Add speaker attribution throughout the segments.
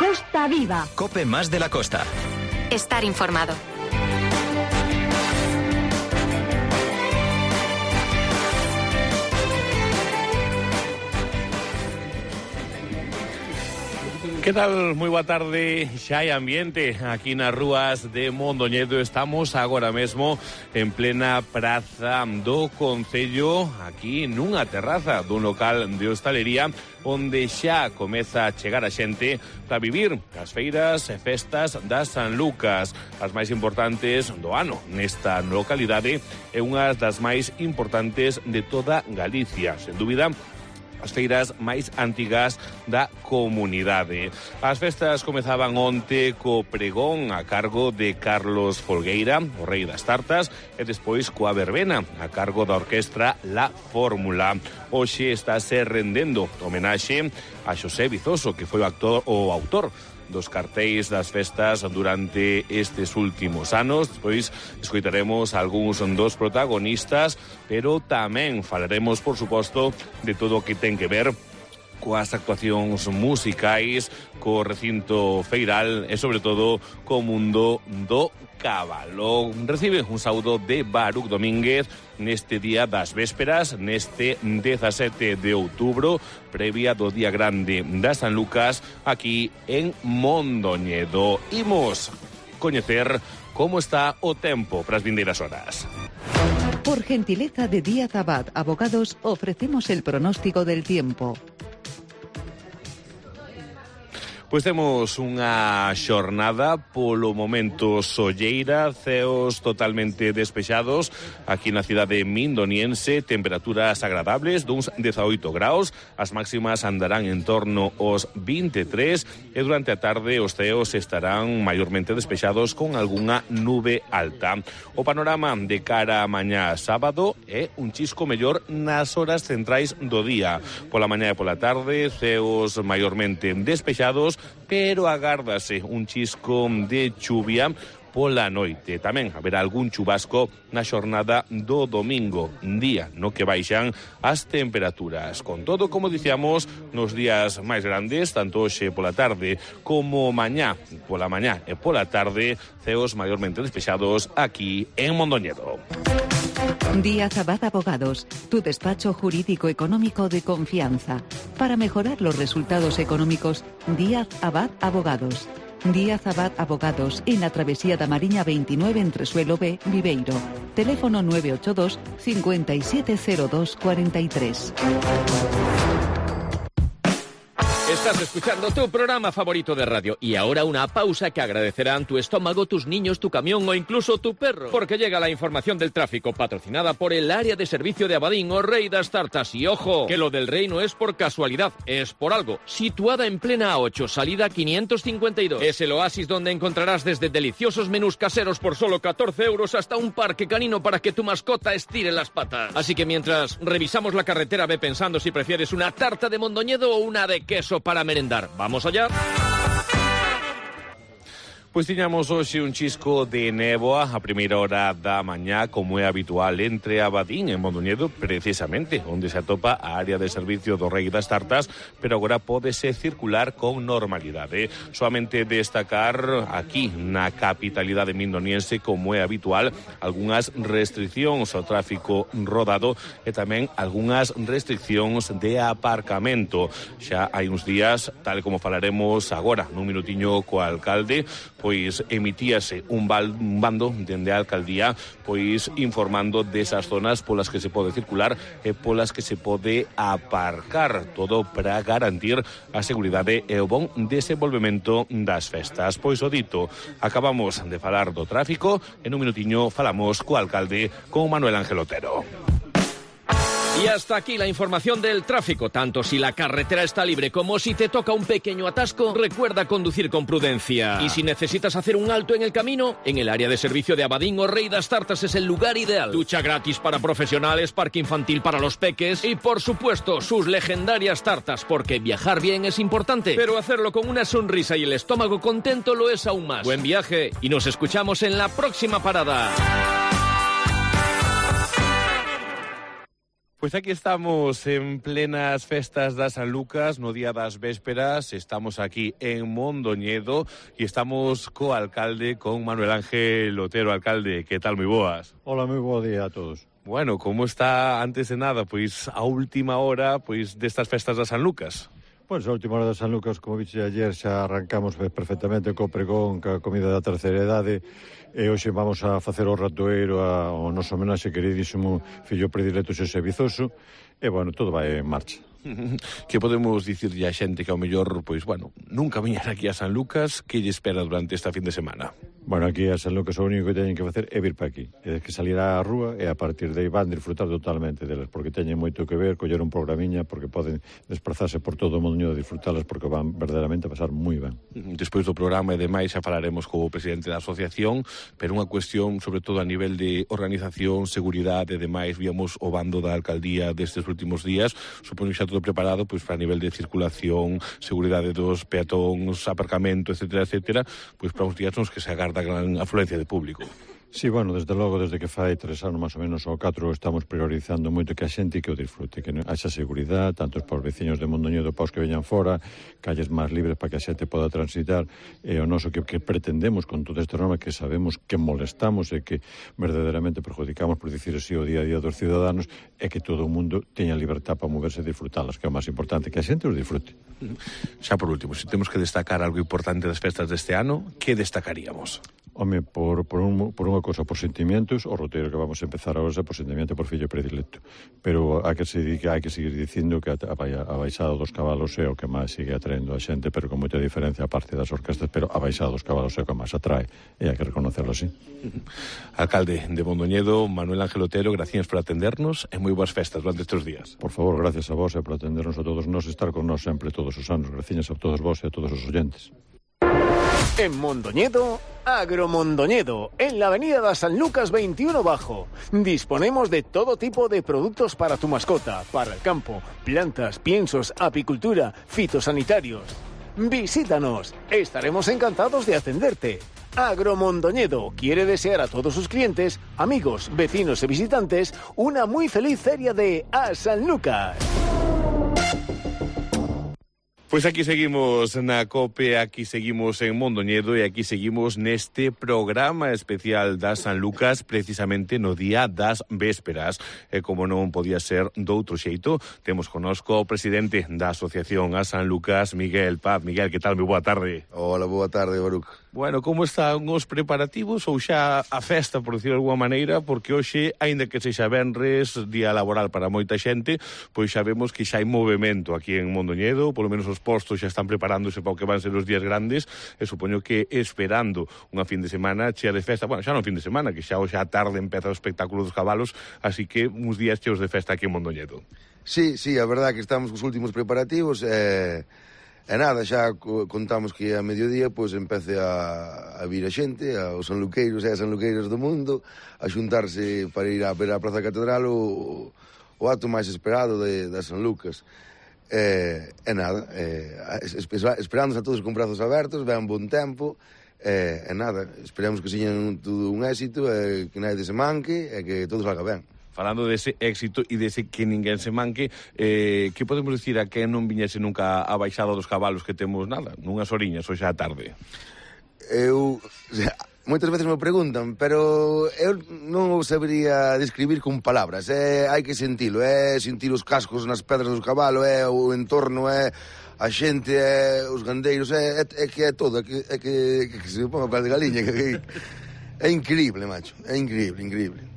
Speaker 1: Costa Viva.
Speaker 2: COPE más de la costa.
Speaker 3: Estar informado.
Speaker 4: Que tal? Moi boa tarde. Xa hai ambiente aquí nas rúas de Mondoñedo. Estamos agora mesmo en plena praza do Concello, aquí nunha terraza dun local de hostalería onde xa comeza a chegar a xente para vivir as feiras e festas das San Lucas, as máis importantes do ano nesta localidade e unha das máis importantes de toda Galicia, sen dúbida as feiras máis antigas da comunidade. As festas comezaban onte co pregón a cargo de Carlos Folgueira, o rei das tartas, e despois coa verbena a cargo da orquestra La Fórmula. Hoxe estáse rendendo homenaxe a Xosé Vizoso, que foi o autor dos cartéis das festas durante estes últimos anos. Despois escoitaremos algúns dos protagonistas, pero tamén falaremos, por suposto, de todo o que ten que ver coas actuacións musicais, co recinto feiral e, sobre todo, co mundo do cabalo. Recibe un saúdo de Baruch Domínguez neste día das vésperas, neste 17 de outubro, previa do Día Grande da San Lucas, aquí en Mondoñedo. Imos coñecer como está o tempo para as vindeiras horas.
Speaker 5: Por gentileza de Díaz Abad Abogados, ofrecemos el pronóstico del tiempo.
Speaker 4: Pois temos unha xornada polo momento solleira, ceos totalmente despexados aquí na cidade mindoniense, temperaturas agradables duns 18 graus, as máximas andarán en torno aos 23 e durante a tarde os ceos estarán maiormente despexados con algunha nube alta. O panorama de cara a mañá sábado é un chisco mellor nas horas centrais do día. Pola mañá e pola tarde, ceos maiormente despexados, pero agárdase un chisco de chuvia pola noite. Tamén haberá algún chubasco na xornada do domingo, día no que baixan as temperaturas. Con todo, como dicíamos, nos días máis grandes, tanto hoxe pola tarde como mañá pola mañá e pola tarde, ceos maiormente despexados aquí en Mondoñedo.
Speaker 5: Díaz Abad Abogados, tu despacho jurídico económico de confianza. Para mejorar los resultados económicos, Díaz Abad Abogados. Díaz Abad Abogados, en la travesía da Mariña 29 entre Suelo B, Viveiro. Teléfono 982 570243.
Speaker 6: Estás escuchando tu programa favorito de radio y ahora una pausa que agradecerán tu estómago, tus niños, tu camión o incluso tu perro. Porque llega la información del tráfico patrocinada por el área de servicio de Abadín o Rey das Tartas. Y ojo, que lo del Rey no es por casualidad, es por algo. Situada en plena A8, salida 552. Es el oasis donde encontrarás desde deliciosos menús caseros por solo 14 euros hasta un parque canino para que tu mascota estire las patas. Así que mientras revisamos la carretera, ve pensando si prefieres una tarta de Mondoñedo o una de queso para merendar. ¿Vamos allá?
Speaker 4: Pois tiñamos hoxe un chisco de néboa a primeira hora da mañá, como é habitual entre Abadín e Mondoñedo, precisamente onde se atopa a área de servicio do Rei das Tartas, pero agora pódese circular con normalidade. Soamente destacar aquí na capitalidade mindoniense, como é habitual, algunhas restriccións ao tráfico rodado e tamén algunhas restriccións de aparcamento. Xa hai uns días, tal como falaremos agora nun minutiño co alcalde, pois emitíase un bando dende a alcaldía pois informando desas zonas polas que se pode circular e polas que se pode aparcar, todo para garantir a seguridade e o bon desenvolvemento das festas. Pois o dito, acabamos de falar do tráfico, en un minutiño falamos co alcalde, con Manuel Ángel Otero.
Speaker 6: Y hasta aquí la información del tráfico. Tanto si la carretera está libre como si te toca un pequeño atasco, recuerda conducir con prudencia. Y si necesitas hacer un alto en el camino, en el área de servicio de Abadín o Rey das Tartas es el lugar ideal. Ducha gratis para profesionales, parque infantil para los peques y, por supuesto, sus legendarias tartas, porque viajar bien es importante, pero hacerlo con una sonrisa y el estómago contento lo es aún más. Buen viaje y nos escuchamos en la próxima parada.
Speaker 4: Pois aquí estamos en plenas festas das San Lucas, no día das vésperas, estamos aquí en Mondoñedo e estamos co alcalde, con Manuel Ángel Otero. Alcalde, que tal, moi boas?
Speaker 1: Hola, moi bo día a todos.
Speaker 4: Bueno, como está antes de nada, pois a última hora pois destas festas das San Lucas?
Speaker 1: Pois a última hora das San Lucas, como vixe ayer, xa arrancamos perfectamente co pregón, ca comida da terceira idade, e hoxe vamos a facer o ratoeiro ao noso homenaxe queridísimo fillo predilecto Xosé Vizoso, e, bueno, todo vai en marcha.
Speaker 4: Que podemos dicirlle a xente que ao mellor, pois, bueno, nunca viñera aquí a San Lucas, que lle espera durante esta fin de semana?
Speaker 1: Bueno, aquí a San Lucas o único que teñen que facer é vir para aquí, é que salir á rúa e a partir de aí van disfrutar totalmente delas, porque teñen moito que ver, coller un programiña, porque poden desplazarse por todo o mundo e disfrutalas, porque van verdadeiramente a pasar moi ben.
Speaker 4: Despois do programa e demais xa falaremos co presidente da asociación, pero unha cuestión sobre todo a nivel de organización, seguridade e demais, víamos o bando da alcaldía destes últimos días, supoño xa todo preparado pois para nivel de circulación, seguridade dos peatóns, aparcamento, etcétera, etcétera, pois para uns días nos que se agarda gran afluencia de público.
Speaker 1: Sí, bueno, desde logo, desde que fai 3 anos máis ou menos ou 4 estamos priorizando moito que a xente que o disfrute, que haxa seguridade, tanto para os veciños de Mondoñedo, para os que veñan fora, calles máis libres para que a xente poda transitar, e o noso que pretendemos con todo este norma, que sabemos que molestamos e que verdadeiramente perjudicamos, por dicir así, o día a día dos ciudadanos, é que todo o mundo teña libertad para moverse e disfrutalas, que é o máis importante, que a xente os disfrute.
Speaker 4: Xa por último, se temos que destacar algo importante das festas deste ano, que destacaríamos?
Speaker 1: Home, por unha cosa, por sentimientos, o roteiro que vamos a empezar agora é por sentimiento por fillo predilecto. Pero hai que seguir dicindo que a baixada dos cabalos é o que máis sigue atraendo a xente, pero con moita diferencia a parte das orquestas, pero a baixada dos cabalos é o que máis atrae, e hai que reconocerlo así.
Speaker 4: Alcalde de Mondoñedo, Manuel Ángel Otero, gracias por atendernos e moi boas festas durante estes días.
Speaker 1: Por favor, gracias a vos e por atendernos a todos nós e estar con nós sempre todos os anos. Gracias a todos vos e a todos os oyentes.
Speaker 2: En Mondoñedo, Agromondoñedo, en la avenida de San Lucas 21 Bajo. Disponemos de todo tipo de productos para tu mascota, para el campo, plantas, piensos, apicultura, fitosanitarios. Visítanos, estaremos encantados de atenderte. Agromondoñedo quiere desear a todos sus clientes, amigos, vecinos y visitantes una muy feliz feria de A San Lucas.
Speaker 4: Pois aquí seguimos na COPE, aquí seguimos en Mondoñedo e aquí seguimos neste programa especial das San Lucas, precisamente no día das vésperas. E como non podía ser doutro xeito, temos connosco o presidente da Asociación A San Lucas, Miguel Paz. Miguel, que tal? Moi boa tarde.
Speaker 7: Hola, boa tarde, Baruc.
Speaker 4: Bueno, como están os preparativos ou xa a festa, por decirlo de alguma maneira, porque hoxe, aínda que sexa venres, día laboral para moita xente, pois xa vemos que xa hai movimento aquí en Mondoñedo, polo menos os postos xa están preparándose para o que van ser os días grandes, e supoño que esperando unha fin de semana chea de festa, bueno, xa non fin de semana, que xa hoxe a tarde empeza o espectáculo dos cabalos, así que uns días cheos de festa aquí en Mondoñedo.
Speaker 7: Sí, a verdad que estamos cos últimos preparativos, e nada, xa contamos que a mediodía pois empece a vir a xente, aos sanluqueiros e as sanluqueiras do mundo, a xuntarse para ir a ver a Praza Catedral o acto máis esperado das San Lucas. E nada, esperándonos a todos con brazos abertos, ven bon tempo, e nada, esperemos que señan todo un éxito, e que nadie se manque, e que todo salga ben.
Speaker 4: Falando dese éxito e dese que ninguén se manque, que podemos dicir a que non viñese nunca a baixada dos cabalos que temos nada, nunhas horiñas hoxe á tarde?
Speaker 7: Moitas veces me preguntan, pero eu non o sabería describir con palabras, hai que sentilo, sentir os cascos nas pedras dos cabalos, o entorno, a xente, os gandeiros, é que é todo, é que se ponga o cal de galiña, é increíble, macho, é increíble.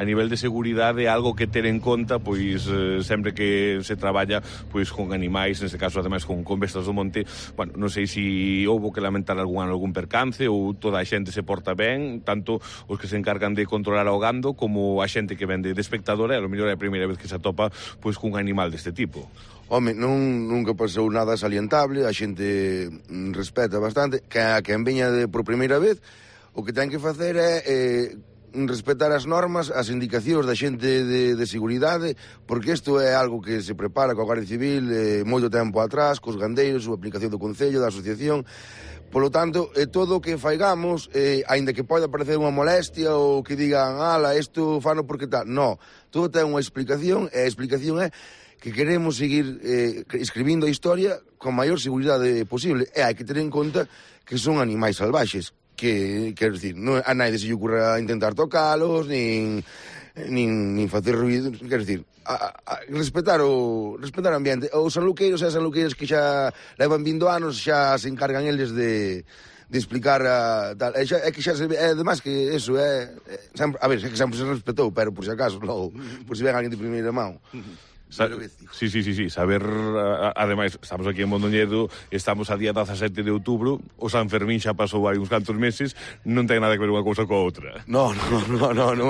Speaker 4: A nivel de seguridade, algo que ter en conta, pois sempre que se traballa pois con animais, neste caso ademais con bestas do monte, bueno, non sei se houbo que lamentar algún percance ou toda a xente se porta ben, tanto os que se encargan de controlar o gando como a xente que vende de espectadora, e a lo mellor é a primeira vez que se atopa pois cun animal deste tipo.
Speaker 7: Home, nunca pasou nada salientable, a xente respeta bastante, que a quen veña por primeira vez, o que ten que facer é respetar as normas, as indicacións da xente de seguridade, porque isto é algo que se prepara coa Garda Civil moito tempo atrás, cos gandeiros, a aplicación do Concello, da Asociación, Polo tanto, todo o que faigamos, aínda que poida parecer unha molestia ou que digan, ala, isto fano porque tal, no, todo ten unha explicación, e a explicación é que queremos seguir escribindo a historia con maior seguridade posible, e hai que ter en conta que son animais salvaxes, que, quero dicir, non, a naide se lle ocurra intentar tocalos, nin facer ruido, quero dicir, respetar o ambiente. Os sanluqueiros e as sanluqueiras que xa levan 20 anos xa se encargan eles de explicar tal. É que xa se ve, además que eso sempre, a ver, é que sempre se respetou, pero por si acaso, logo, por si ven alguén de primeira mão.
Speaker 4: Sí, saber, ademais, estamos aquí en Mondoñedo, estamos a día 17 de outubro, o San Fermín xa pasou hai uns cantos meses, non ten nada que ver unha cousa coa outra.
Speaker 7: Non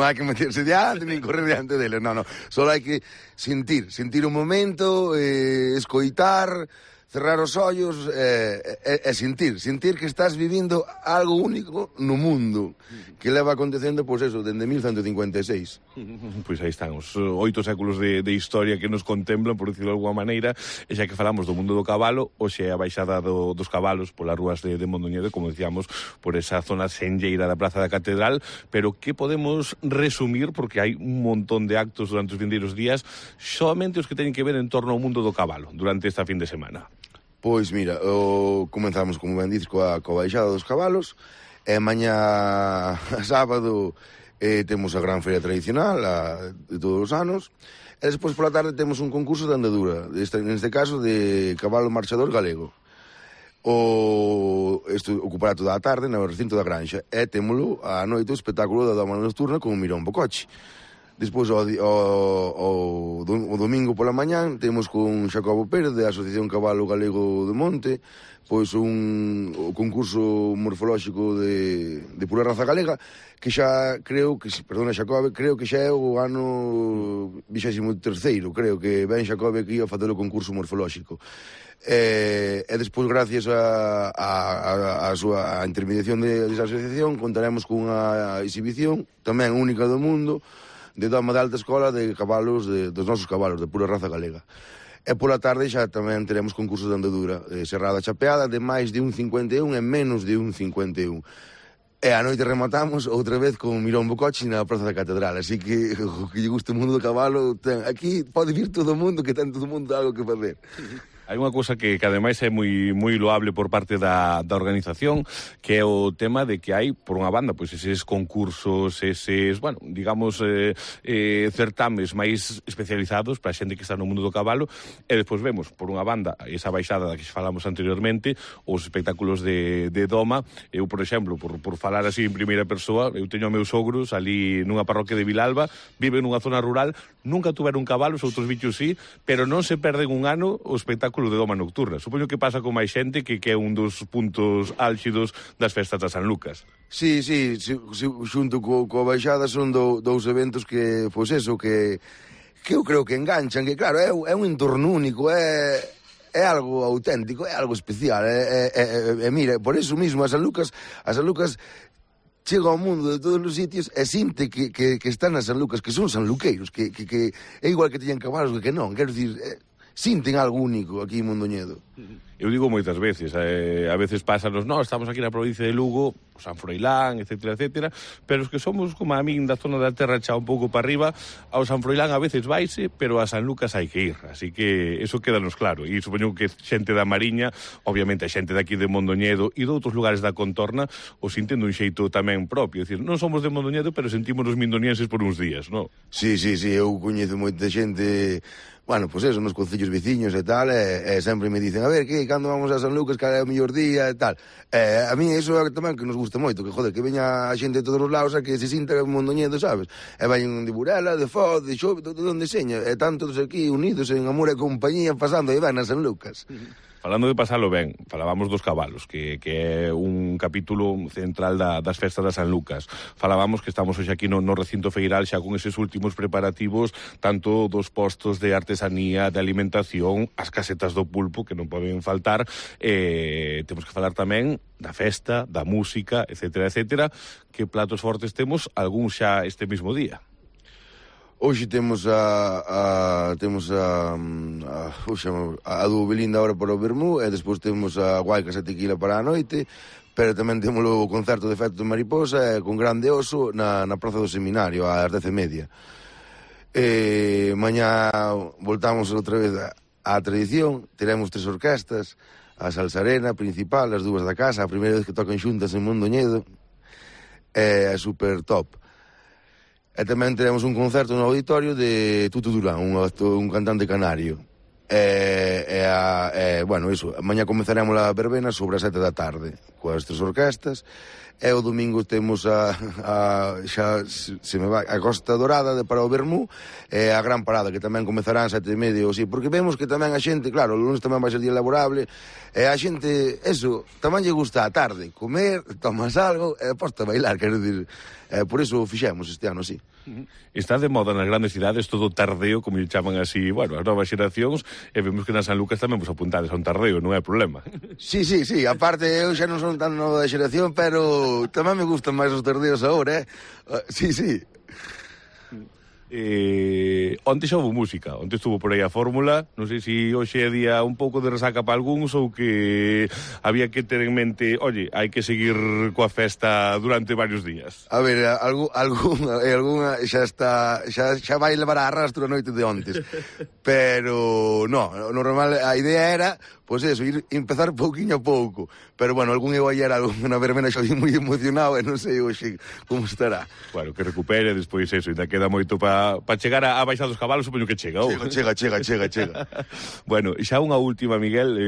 Speaker 7: hai que meterse diante, nin correr diante deles, non, só hai que sentir o momento, escoitar, cerrar os ollos e sentir que estás vivindo algo único no mundo que leva acontecendo, pois eso, dende 1156.
Speaker 4: Pois aí están os 8 séculos de historia que nos contemplan, por dicirlo de alguma maneira, e xa que falamos do mundo do cabalo, hoxe é a baixada dos cabalos polas rúas de Mondoñedo, como decíamos, por esa zona senlleira da Praza da Catedral, pero que podemos resumir, porque hai un montón de actos durante os vindeiros días, solamente os que teñen que ver en torno ao mundo do cabalo, durante esta fin de semana.
Speaker 7: Pois mira, comenzamos, como ben dices, coa baixada dos cabalos, e mañá sábado temos a gran feria tradicional de todos os anos, e despois pola tarde temos un concurso de andadura, neste caso de cabalo marchador galego. Isto ocupará toda a tarde no recinto da Granxa, e témolo a noite o espectáculo da Doma Nocturna con o Mirón Bocochi. Despois, o domingo pola mañán, temos con Xacobo Pérez, da Asociación Cabalo Galego de Monte, pois o concurso morfolóxico de pura raza galega, que xa creo que, perdona Xacobo, creo que xa é o ano 23º, creo que ben Xacobo aquí a facer o concurso morfolóxico. E despois, gracias a súa intermediación desa asociación, contaremos cunha exhibición tamén única do mundo, de doma de alta escola de cabalos, dos nosos cabalos, de pura raza galega. E pola tarde xa tamén teremos concursos de andadura, serrada chapeada de máis de 1,51 e menos de 1,51. E a noite rematamos outra vez con Mirón Bocochi na Praza da Catedral, así que o que lle gusta o mundo do cabalo, aquí pode vir todo o mundo, que ten todo o mundo algo que facer.
Speaker 4: Hai unha cousa que ademais é moi loable por parte da organización, que é o tema de que hai, por unha banda, pois eses concursos, eses, bueno, digamos, certames máis especializados para a xente que está no mundo do cabalo, e despois vemos, por unha banda, esa baixada da que falamos anteriormente, os espectáculos de doma. Eu, por exemplo, por falar así en primeira persoa, eu teño meus sogros ali nunha parroquia de Vilalba, viven nunha zona rural, nunca tuveron cabalos, outros bichos sí, pero non se perden un ano o espectáculo de doma nocturna. Supoño que pasa con máis xente, que é un dos puntos álxidos das festas da San Lucas.
Speaker 7: Sí, xunto coa baixada son dous eventos que, pois eso, que eu creo que enganchan, que claro, é un entorno único, é algo auténtico, é algo especial, mira, por eso mismo a San Lucas chega ao mundo de todos os sitios e sinte que están a San Lucas, que son sanluqueiros, que é igual que teñen cabalos que non, quero dicir, sinten algo único aquí en Mondoñedo.
Speaker 4: Eu digo moitas veces, a veces pásanos, estamos aquí na provincia de Lugo, San Froilán, etcétera, pero os que somos como a min da zona da terra xa un pouco para arriba, ao San Froilán a veces vaise, pero a San Lucas hai que ir, así que eso quédanos claro, e supoño que xente da Mariña, obviamente a xente daqui de Mondoñedo e de outros lugares da contorna, o sinten dun xeito tamén propio, é dicir, non somos de Mondoñedo, pero sentimos os mindonienses por uns días, non?
Speaker 7: Sí, eu coñezo moita xente, bueno, pois eso, nos concellos veciños e tal, e sempre me dicen, a ver, que, cando vamos a San Lucas, cal é o mellor día e tal. A mí iso é tamén que nos gusta moito, que, joder, que veña a xente de todos os lados a que se sinta Mondoñedo, sabes? E veñen de Burela, de Foz, de Xove, de onde seña, e están todos aquí unidos en amor e compañía, pasando e ben a San Lucas.
Speaker 4: Falando de pasalo ben, falábamos dos cabalos, que é un capítulo central das festas da San Lucas. Falábamos que estamos hoxe aquí no recinto feiral xa con eses últimos preparativos, tanto dos postos de artesanía, de alimentación, as casetas do pulpo, que non poden faltar. Temos que falar tamén da festa, da música, etcétera. Que platos fortes temos, algúns xa este mismo día?
Speaker 7: Hoxe temos a do Belinda ahora para o Vermú, e despois temos a Guaicas e Tequila para a noite, pero tamén temos o concerto de Efecto de Mariposa con Grande Oso na Praza do Seminario ás 10:30. Mañá voltamos outra vez á tradición, teremos 3 orquestas, a Salsarena principal, as 2 da casa, a primeira vez que tocan xuntas en Mondoñedo, é super top. E tamén teremos un concerto no auditorio de Tutu Durán, un cantante canario. Bueno, iso, mañá comezaremos a verbena sobre as 7 da tarde, coas 3 orquestas, e o domingo temos a Costa Dorada para o Vermú, e a Gran Parada, que tamén comezarán 7:30 ou así, porque vemos que tamén a xente, claro, o lunes tamén vai ser día laborable, e a xente, eso, tamén lle gusta a tarde, comer, tomas algo, e posta a bailar, quero dicir, por iso fixemos este ano así.
Speaker 4: Está de moda nas grandes cidades todo o tardeo, como lle chaman así, bueno, as novas xeracións, e vemos que na San Lucas tamén vos apuntades a un tardeo, non é problema.
Speaker 7: Sí, aparte eu xa non son tan nova da xeración, pero tamén me gustan máis os tardeos agora, Sí.
Speaker 4: Onte xa houve música, onte estuvo por aí a fórmula, non sei se hoxe é día un pouco de resaca para algúns ou que había que ter en mente, oye, hai que seguir coa festa durante varios días.
Speaker 7: A ver, algunha xa vai levar a arrastro a noite de ontes, pero no, normal, a idea era pois eso, empezar pouquiño a pouco, pero bueno, algún eu ayer na verbena xa moi emocionado e non sei hoxe como estará.
Speaker 4: Bueno, que recupere despois eso, ainda queda moito para chegar a baixar dos cabalos, supoño que chega.
Speaker 7: Chega.
Speaker 4: Bueno, xa unha última, Miguel,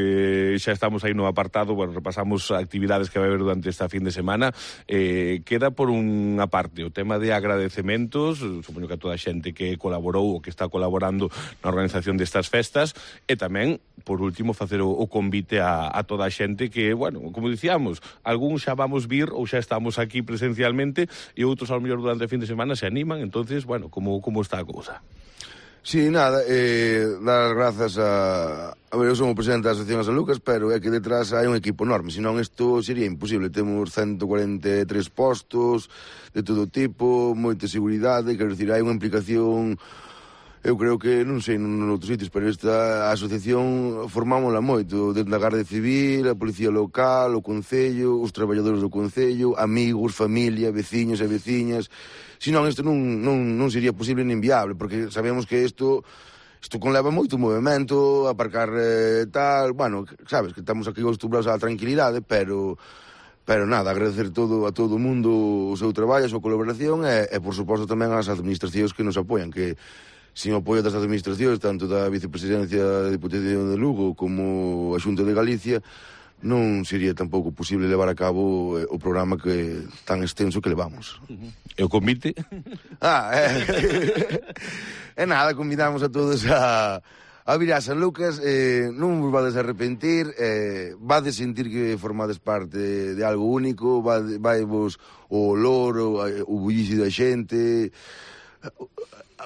Speaker 4: xa estamos aí no apartado, bueno, repasamos actividades que vai haber durante esta fin de semana, queda por unha parte o tema de agradecementos, supoño que a toda a xente que colaborou ou que está colaborando na organización destas festas, e tamén, por último, facer o convite a toda a xente que, bueno, como dicíamos, algúns xa vamos vir ou xa estamos aquí presencialmente e outros ao mellor durante o fin de semana se animan, entonces, bueno, como está a cousa?
Speaker 7: Sí, nada, dar grazas a ver, eu son o presidente da Asociación San Lucas, pero é que detrás hai un equipo enorme, senón isto sería imposible. Temos 143 postos de todo tipo, moita seguridade, quero dicir, hai unha implicación. Eu creo que, non sei, non outros sitios, pero esta asociación formámola moito, desde a Garda Civil, a Policía Local, o Concello, os traballadores do Concello, amigos, familia, veciños e veciñas. Senón, isto non sería posible nin viable, porque sabemos que isto conleva moito movimento, aparcar tal, bueno, sabes, que estamos aquí acostumbrados á tranquilidade, pero nada, agradecer a todo o mundo o seu traballo, a súa colaboración e por suposto tamén ás administracións que nos apoian, que sin o apoio das administracións, tanto da Vicepresidencia da Diputación de Lugo como a Xunta de Galicia, non sería tampouco posible levar a cabo o programa que tan extenso que levamos.
Speaker 4: E o convite?
Speaker 7: Nada, convidamos a todos a vir a San Lucas, non vos vades a arrepentir, vades sentir que formades parte de algo único, vai vos o olor, o bullicio da xente,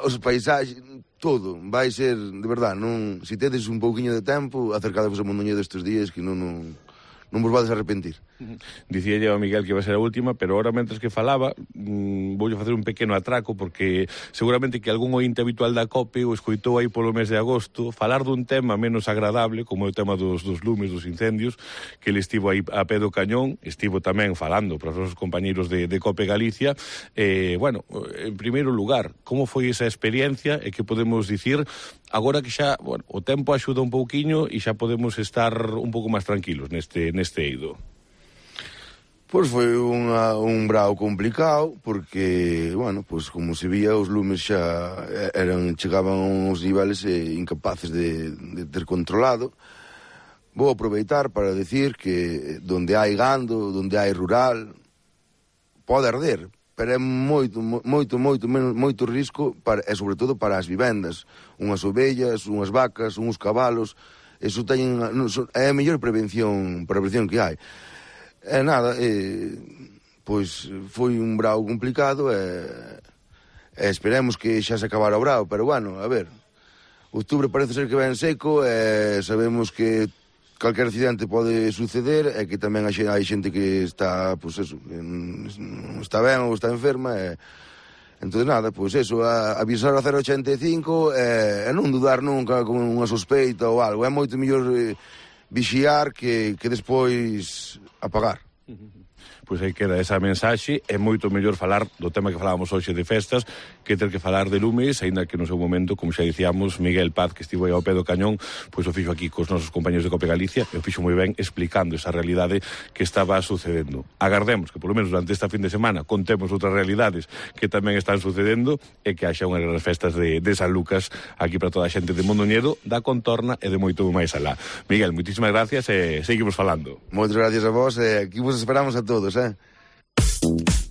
Speaker 7: os paisaxes, todo, vai ser, de verdad, non, se tedes un pouquiño de tempo, acercadevos a Mondoñedo estes días que non vos vades a arrepentir.
Speaker 4: Dicía a Miguel que iba a ser a última, pero ahora, mentres que falaba, voulle facer un pequeno atraco, porque seguramente que algún ointe habitual da COPE o escoitou aí polo mes de agosto falar dun tema menos agradable, como o tema dos lumes, dos incendios, que ele estivo aí a pé do cañón, estivo tamén falando para os nosos compañeiros de COPE Galicia. Bueno, en primeiro lugar, como foi esa experiencia e que podemos dicir agora que xa, bueno, o tempo axuda un pouquiño e xa podemos estar un pouco máis tranquilos neste eido?
Speaker 7: Pois foi un brao complicado, porque, bueno, pois como se vía, os lumes xa chegaban a uns niveles incapaces de ter controlado. Vou aproveitar para decir que donde hai gando, donde hai rural, pode arder, pero é moito risco, e sobre todo para as vivendas, unhas ovellas, unhas vacas, uns cabalos, eso é a mellor prevención que hai. E nada, pois foi un brao complicado e esperemos que xa se acabara o brao, pero bueno, a ver, outubro parece ser que ven seco e sabemos que calquer accidente pode suceder e que tamén hai xente que está, pois eso, non está ben ou está enferma e Entón, nada, pois eso, avisar a 085 e non dudar nunca con unha sospeita ou algo. É moito mellor vixiar que despois apagar.
Speaker 4: Pois aí queda esa mensaxe. É moito mellor falar do tema que falábamos hoxe de festas que ter que falar de lumes, aínda que no seu momento, como xa dicíamos, Miguel Paz, que estivo aí ao pé do cañón, pois o fixo aquí cos nosos compañeros de Cope Galicia, e o fixo moi ben explicando esa realidade que estaba sucedendo. Agardemos que, polo menos durante esta fin de semana, contemos outras realidades que tamén están sucedendo e que haxa unhas grandes festas de San Lucas aquí para toda a xente de Mondoñedo, da contorna e de moito máis alá. Miguel, moitísimas gracias e seguimos falando.
Speaker 7: Moitas gracias a vos e aquí vos esperamos a todos,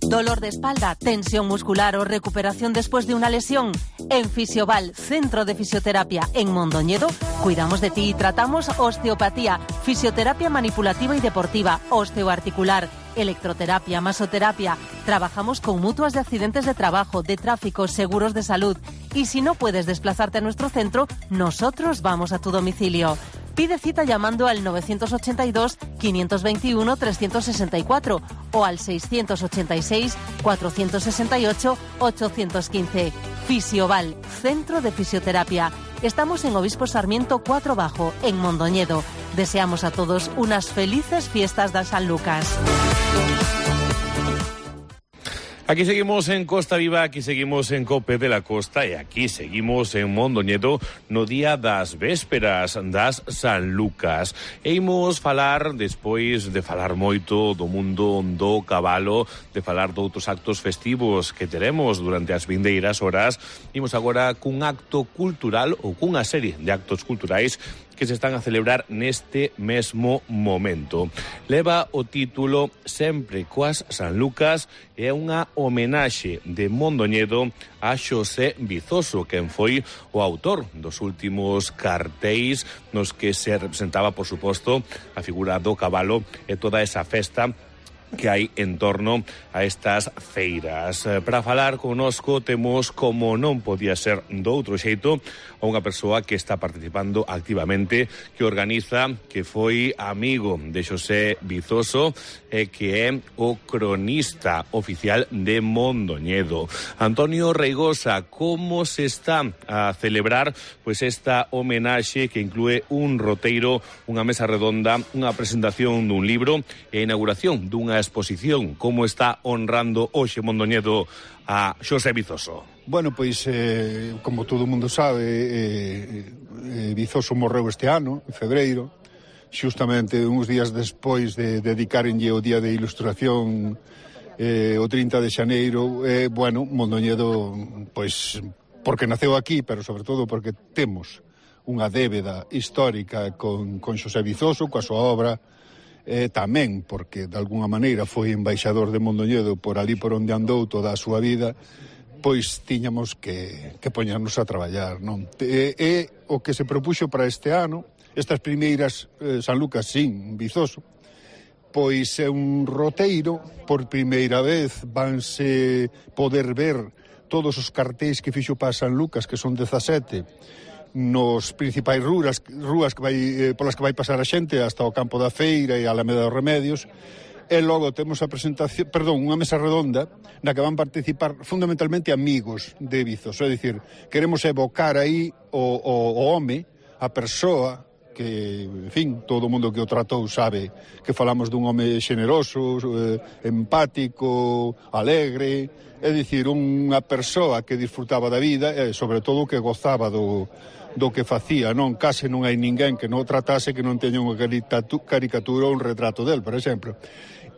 Speaker 8: Dolor de espalda, tensión muscular o recuperación después de una lesión. En Fisioval, Centro de Fisioterapia en Mondoñedo, cuidamos de ti y tratamos osteopatía, fisioterapia manipulativa y deportiva, osteoarticular, electroterapia, masoterapia. Trabajamos con mutuas de accidentes de trabajo, de tráfico, seguros de salud. Y si no puedes desplazarte a nuestro centro, nosotros vamos a tu domicilio. Pide cita llamando al 982-521-364 o al 686-468-815. Fisioval, Centro de Fisioterapia. Estamos en Obispo Sarmiento 4 Bajo, en Mondoñedo. Deseamos a todos unas felices fiestas de San Lucas.
Speaker 4: Aquí seguimos en Costa Viva, aquí seguimos en Cope de la Costa e aquí seguimos en Mondoñedo no día das vésperas das San Lucas. E imos falar, despois de falar moito do mundo do cabalo, de falar de outros actos festivos que teremos durante as vindeiras horas, imos agora cun acto cultural ou cunha serie de actos culturais que se están a celebrar neste mesmo momento. Leva o título Sempre coas San Lucas e é unha homenaxe de Mondoñedo a Xosé Vizoso, quen foi o autor dos últimos cartéis nos que se representaba, por suposto, a figura do cabalo e toda esa festa que hai en torno a estas feiras. Para falar connosco temos, como non podía ser doutro xeito, a unha persoa que está participando activamente, que organiza, que foi amigo de Xosé Vizoso e que é o cronista oficial de Mondoñedo. Antonio Reigosa, como se está a celebrar pois esta homenaxe que inclúe un roteiro, unha mesa redonda, unha presentación dun libro e a inauguración dunha exposición? Como está honrando hoxe Mondoñedo a Xosé Vizoso?
Speaker 9: Bueno, pois, como todo o mundo sabe, Vizoso morreu este ano, en febreiro, xustamente uns días despois de dedicarenlle o Día de Ilustración, o 30 de xaneiro. Bueno, Mondoñedo, pois, porque naceu aquí, pero sobre todo porque temos unha débeda histórica con Xosé Vizoso, coa súa obra, tamén porque de alguna maneira foi embaixador de Mondoñedo por ali por onde andou toda a súa vida, pois tiñamos que poñernos a traballar, non? E o que se propuxo para este ano, estas primeiras San Lucas sin Vizoso, pois é un roteiro. Por primeira vez vanse poder ver todos os cartéis que fixo para San Lucas, que son 17, nos principais rúas que vai, polas que vai pasar a xente hasta o Campo da Feira e a Alameda dos Remedios. E logo temos a presentación, unha mesa redonda na que van participar fundamentalmente amigos de Vizoso. É dicir, queremos evocar aí o home, a persoa que, en fin, todo o mundo que o tratou sabe que falamos dun home xeneroso, empático, alegre, é dicir, unha persoa que disfrutaba da vida e, sobre todo, que gozaba do que facía, non? Case non hai ninguén que non o tratase que non teña unha caricatura ou un retrato del, por exemplo.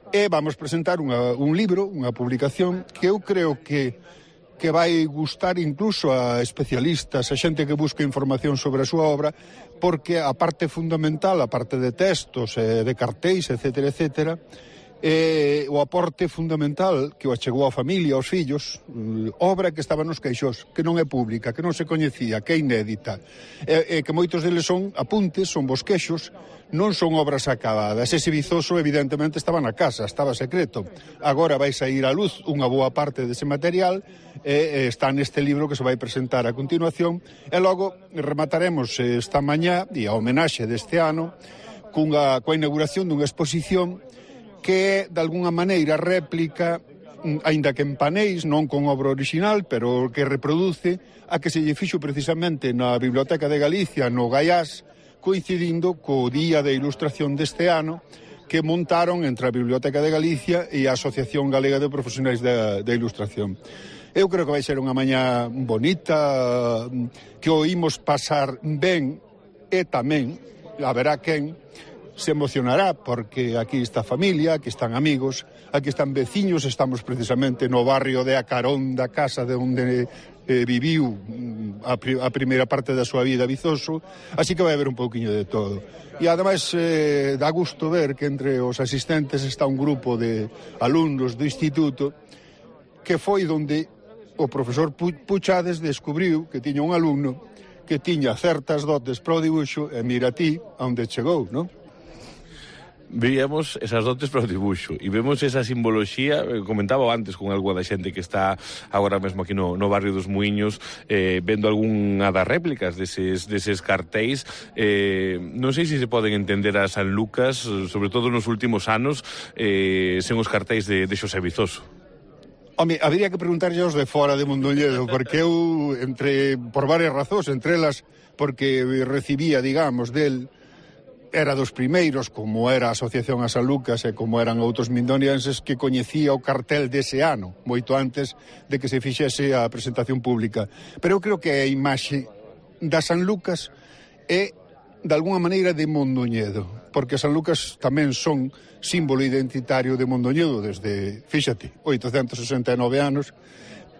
Speaker 9: E vamos presentar un libro, unha publicación, que eu creo que vai gustar incluso a especialistas, a xente que busca información sobre a súa obra, porque a parte fundamental, a parte de textos, de cartéis, etcétera, etcétera, o aporte fundamental que o achegou a familia, aos fillos, obra que estaba nos caixós, que non é pública, que non se coñecía, que é inédita, que moitos deles son apuntes, son bosquexos, non son obras acabadas. Ese Vizoso evidentemente estaba na casa, estaba secreto. Agora vai sair á luz unha boa parte dese material e está neste libro que se vai presentar a continuación, e logo remataremos esta mañá e a homenaxe deste ano coa inauguración dunha exposición que é, de alguna maneira, réplica aínda que en paneis, non con obra original, pero que reproduce a que se lle fixo precisamente na Biblioteca de Galicia, no Gaiás, coincidindo co Día de Ilustración deste ano, que montaron entre a Biblioteca de Galicia e a Asociación Galega de Profesionais da Ilustración. Eu creo que vai ser unha mañá bonita, que o imos pasar ben, e tamén haberá quen se emocionará, porque aquí está familia, aquí están amigos, aquí están veciños, estamos precisamente no barrio de Acarón, da casa de onde viviu a primeira parte da súa vida Vizoso, así que vai haber un pouquiño de todo. E ademais dá gusto ver que entre os asistentes está un grupo de alumnos do instituto que foi donde o profesor Puchades descubriu que tiña un alumno que tiña certas dotes para o dibuixo e mira ti onde chegou, non?
Speaker 4: Veíamos esas dotes para o dibuixo e vemos esa simboloxía, comentaba antes con algo da xente que está agora mesmo aquí no barrio dos Muiños, vendo algunha das réplicas deses cartéis. Non sei se se poden entender a San Lucas, sobre todo nos últimos anos, sen os cartéis de Xosé Vizoso.
Speaker 9: Home, habría que preguntarlle aos de fora de Mondoñedo, porque eu, por varias razóns, entre elas, porque recibía, digamos, del era dos primeiros, como era a Asociación a San Lucas e como eran outros mindonienses, que coñecía o cartel dese ano, moito antes de que se fixese a presentación pública. Pero eu creo que a imaxe da San Lucas é, de alguna maneira, de Mondoñedo, porque San Lucas tamén son símbolo identitario de Mondoñedo desde, fíxate, 869 anos,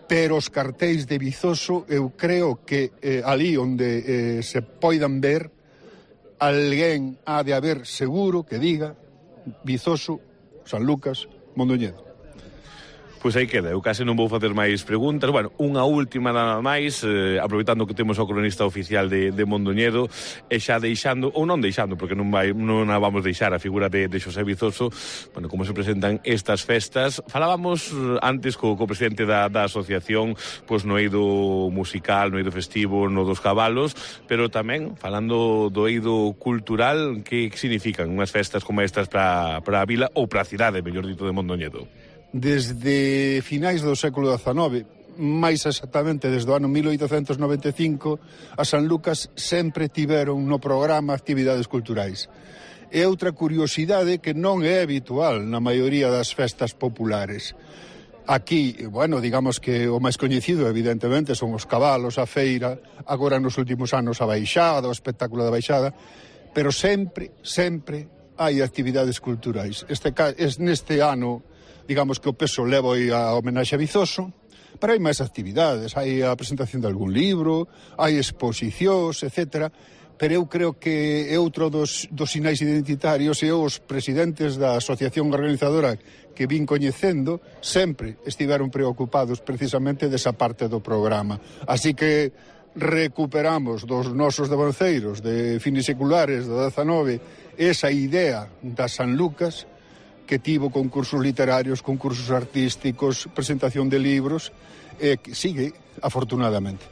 Speaker 9: pero os cartéis de Vizoso, eu creo que ali onde se poidan ver, alguén ha de haber seguro que diga Vizoso, San Lucas, Mondoñedo.
Speaker 4: Pois aí queda, eu case non vou facer máis preguntas. Bueno, unha última nada máis, aproveitando que temos o cronista oficial de Mondoñedo, e xa deixando, ou non deixando, porque non a vamos deixar a figura de Xosé Vizoso, bueno, como se presentan estas festas. Falábamos antes co presidente da asociación, pois no eido musical, no eido festivo, no dos cabalos, pero tamén, falando do eido cultural, que significan unhas festas como estas para a vila, ou para a cidade, mellor dito, de Mondoñedo?
Speaker 9: Desde finais do século XIX, máis exactamente desde o ano 1895, a San Lucas sempre tiveron no programa actividades culturais. E outra curiosidade que non é habitual na maioría das festas populares. Aquí, bueno, digamos que o máis coñecido, evidentemente, son os cabalos, a feira, agora nos últimos anos a baixada, o espectáculo da baixada, pero sempre hai actividades culturais. Neste ano, digamos que o peso leva a homenaxe a Vizoso, pero hai máis actividades, hai a presentación de algún libro, hai exposicións, etc. Pero eu creo que é outro dos sinais identitarios, e os presidentes da asociación organizadora que vin coñecendo sempre estiveron preocupados precisamente desa parte do programa. Así que recuperamos dos nosos devanceiros de finiseculares do 19 esa idea da San Lucas, que tivo concursos literarios, concursos artísticos, presentación de libros, e que sigue, afortunadamente.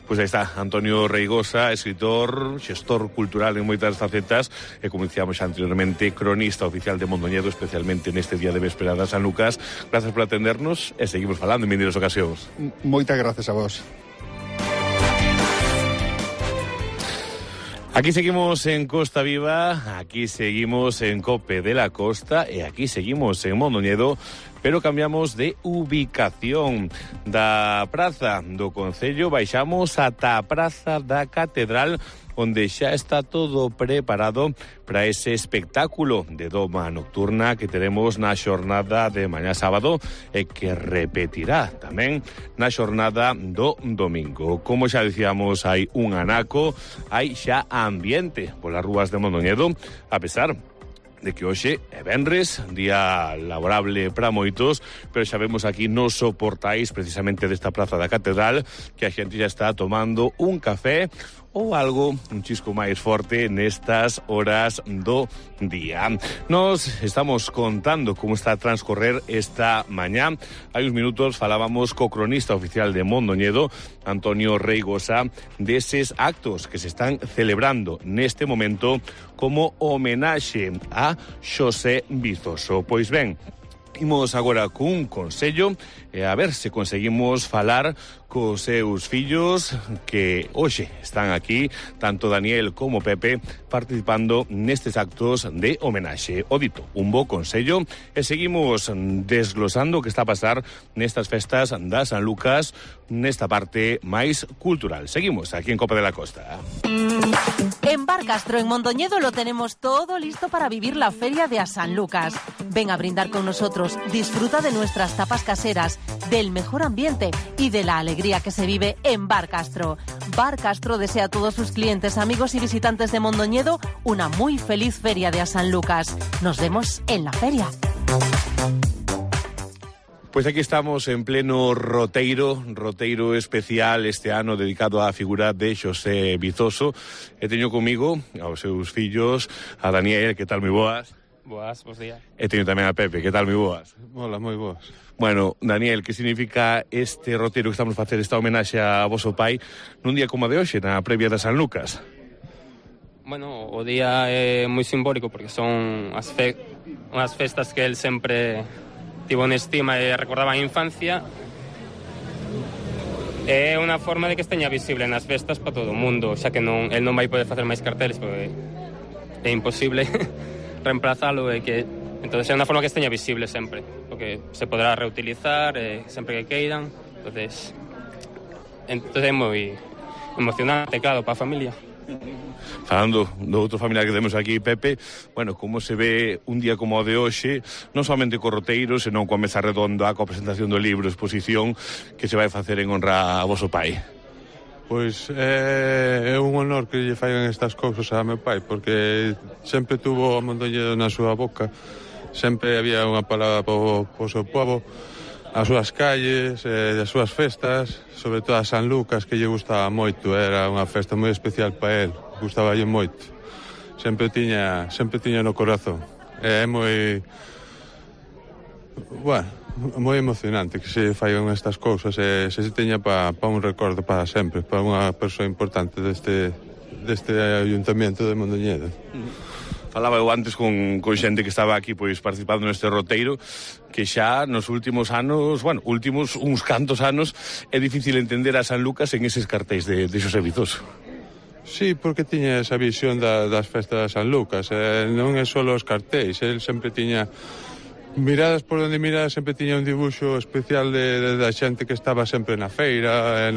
Speaker 4: Pois aí está, Antonio Reigosa, escritor, xestor cultural en moitas facetas, e como dicíamos anteriormente, cronista oficial de Mondoñedo, especialmente neste día de véspera da San Lucas. Gracias por atendernos e seguimos falando en vindeiras ocasións.
Speaker 9: Moitas gracias a vos.
Speaker 4: Aquí seguimos en Costa Viva, aquí seguimos en Cope de la Costa e aquí seguimos en Mondoñedo, pero cambiamos de ubicación. Da Praza do Concello baixamos ata a Praza da Catedral, onde xa está todo preparado para ese espectáculo de doma nocturna que teremos na xornada de mañá sábado e que repetirá tamén na xornada do domingo. Como xa dicíamos, hai un anaco, hai xa ambiente polas rúas de Mondoñedo, a pesar de que hoxe é venres, día laborable para moitos, pero xa vemos aquí nos soportais precisamente desta Praza da Catedral que a xente xa está tomando un café ou algo un chisco máis forte nestas horas do día. Nos estamos contando como está a transcorrer esta mañá. Hai uns minutos falábamos co cronista oficial de Mondoñedo, Antonio Reigosa, deses actos que se están celebrando neste momento como homenaxe a Xosé Vizoso. Pois ben, Imos agora cun consello e a ver se conseguimos falar cos seus fillos que hoxe están aquí, tanto Daniel como Pepe, participando nestes actos de homenaxe. O dito, un bo consello e seguimos desglosando o que está a pasar nestas festas da San Lucas, nesta parte máis cultural. Seguimos aquí en Copa de la Costa.
Speaker 8: En Bar Castro, en Mondoñedo, lo tenemos todo listo para vivir la feria de a San Lucas. Ven a brindar con nosotros, disfruta de nuestras tapas caseras, del mejor ambiente y de la alegría que se vive en Bar Castro. Bar Castro desea a todos sus clientes, amigos y visitantes de Mondoñedo una muy feliz feria de a San Lucas. Nos vemos en la feria.
Speaker 4: Pois aquí estamos en pleno roteiro especial este ano dedicado á figura de Xosé Vizoso. E teño comigo aos seus fillos, a Daniel, que tal, moi boas?
Speaker 10: Boas, bons días.
Speaker 4: E teño tamén a Pepe, que tal, moi boas?
Speaker 9: Hola, moi boas.
Speaker 4: Bueno, Daniel, que significa este roteiro que estamos a facer, esta homenaxe a voso pai, nun día como de hoxe, na previa da San Lucas?
Speaker 10: Bueno, o día é moi simbólico porque son unhas festas que el sempre tivo en estima e recordaba a infancia. É unha forma de que esteña visible nas festas para todo o mundo, xa que el non vai poder facer máis carteles porque é imposible reemplazalo, e que entonces é unha forma que esteña visible sempre, porque se podrá reutilizar sempre que queiran. Entonces é moi emocionante, claro, para a familia.
Speaker 4: Falando do outro familiar que temos aquí, Pepe, bueno, como se ve un día como o de hoxe, non somente co roteiro, senón coa mesa redonda, coa presentación do libro, exposición que se vai facer en honra a voso pai?
Speaker 11: Pois é un honor que lle faigan estas cousas a meu pai, porque sempre tuvo a Mondoñedo na súa boca, sempre había unha palabra po seu povo, as súas calles, as súas festas, sobre todo a San Lucas, que lle gustaba moito, era unha festa moi especial para el, gustaba lle moito, sempre tiña no corazón. É moi, bueno, moi emocionante que se faigan estas cousas e se teña para un recordo para sempre, para unha persoa importante deste ayuntamiento de Mondoñedo.
Speaker 4: Falaba eu antes con xente que estaba aquí pois participando neste roteiro, que xa nos últimos anos, bueno, últimos uns cantos anos, é difícil entender a San Lucas en eses cartéis de Xosé Vizoso.
Speaker 11: Sí, porque tiña esa visión das festas de San Lucas, non é só os cartéis, el sempre tiña miradas por onde miradas, sempre tiña un dibuixo especial da xente que estaba sempre na feira,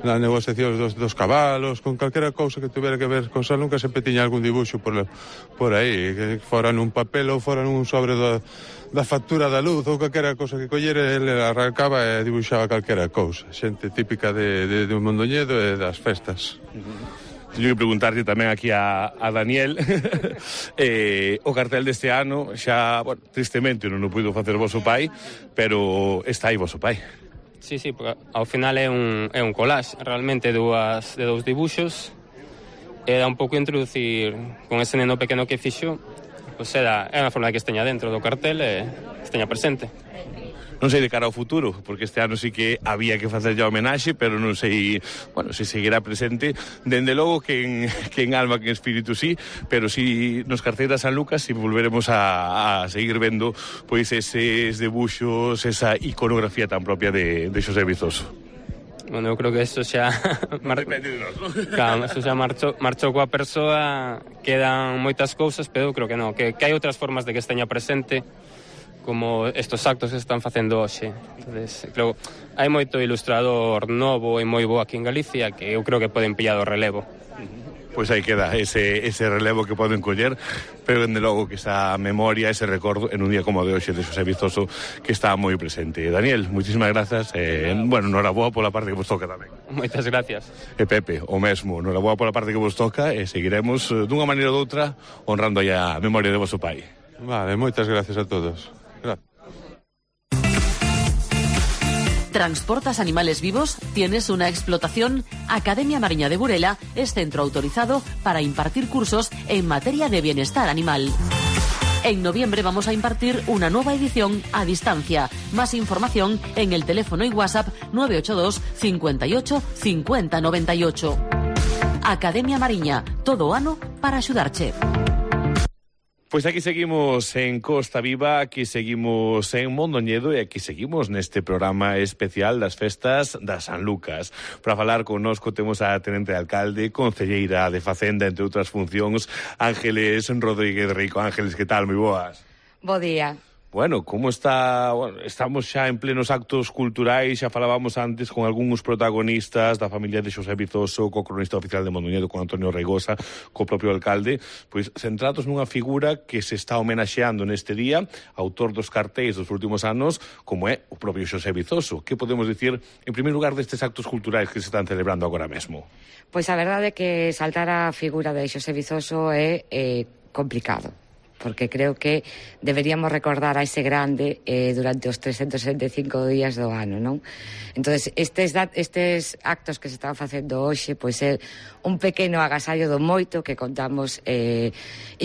Speaker 11: na negociación dos cabalos, con calquera cousa que tuvera que ver con San Lucas, sempre tiña algún dibuixo por aí, que fora nun papel ou fora nun sobre da factura da luz ou calquera cousa que collera, ele arrancaba e dibuixaba calquera cousa, xente típica de Mondoñedo e das festas.
Speaker 4: Teño que preguntarlle tamén aquí a Daniel o cartel deste ano xa, bueno, tristemente non o puido facer voso pai, pero está aí voso pai.
Speaker 10: Sí, porque ao final é un collage realmente de dous dibuxos, e dá un pouco introducir con ese neno pequeno que fixo, pois é unha forma de que esteña dentro do cartel e esteña presente.
Speaker 4: Non sei de cara ao futuro, porque este ano sí que había que facer ya homenaxe, pero non sei, bueno, se seguirá presente. Dende logo que en alma, que en espírito sí, pero sí nos cartéis da San Lucas si volveremos a seguir vendo pois eses debuxos, esa iconografía tan propia de Xosé Vizoso.
Speaker 10: Bueno, eu creo que eso xa
Speaker 4: depende de nós, ¿no?
Speaker 10: Claro, eso xa marchou coa persoa, quedan moitas cousas, pero eu creo que non, que hai outras formas de que esteña presente, como estos actos que se están facendo hoxe. Entonces, creo, hai moito ilustrador novo e moi bo aquí en Galicia que eu creo que poden pillar o relevo.
Speaker 4: Pois aí queda ese relevo que poden coller, pero dende logo que esa memoria, ese recordo en un día como de hoxe de Xosé Vizoso que está moi presente. Daniel, moitísimas grazas, bueno, noraboa pola parte que vos toca tamén.
Speaker 10: Moitas gracias.
Speaker 4: E Pepe, o mesmo, noraboa pola parte que vos toca e seguiremos dunha maneira ou doutra honrando aí a memoria de voso pai.
Speaker 11: Vale, moitas gracias a todos.
Speaker 5: ¿Transportas animales vivos? ¿Tienes una explotación? Academia Mariña de Burela es centro autorizado para impartir cursos en materia de bienestar animal. En noviembre vamos a impartir una nueva edición a distancia. Más información en el teléfono y WhatsApp 982 58 50 98. Academia Mariña, todo ano para axudarche.
Speaker 4: Pois aquí seguimos en Costa Viva, aquí seguimos en Mondoñedo e aquí seguimos neste programa especial das festas da San Lucas. Para falar connosco temos a Tenente de Alcalde, Concelleira de Facenda, entre outras funcións, Ángeles Rodríguez Rico. Ángeles, que tal? Moi boas.
Speaker 12: Bo día.
Speaker 4: Bueno, como está? Bueno, estamos xa en plenos actos culturais, xa falábamos antes con algúns protagonistas da familia de Xosé Vizoso, co cronista oficial de Mondoñedo, con Antonio Reigosa, co propio alcalde, pois centrados nunha figura que se está homenaxeando neste día, autor dos cartéis dos últimos anos, como é o propio Xosé Vizoso. Que podemos dicir, en primeiro lugar, destes actos culturais que se están celebrando agora mesmo?
Speaker 12: Pois a verdade é que saltar a figura de Xosé Vizoso é complicado, porque creo que deberíamos recordar a ese grande durante os 365 días do ano, non? Entonces, estes actos que se están facendo hoxe, pois é un pequeno agasallo do moito que contamos e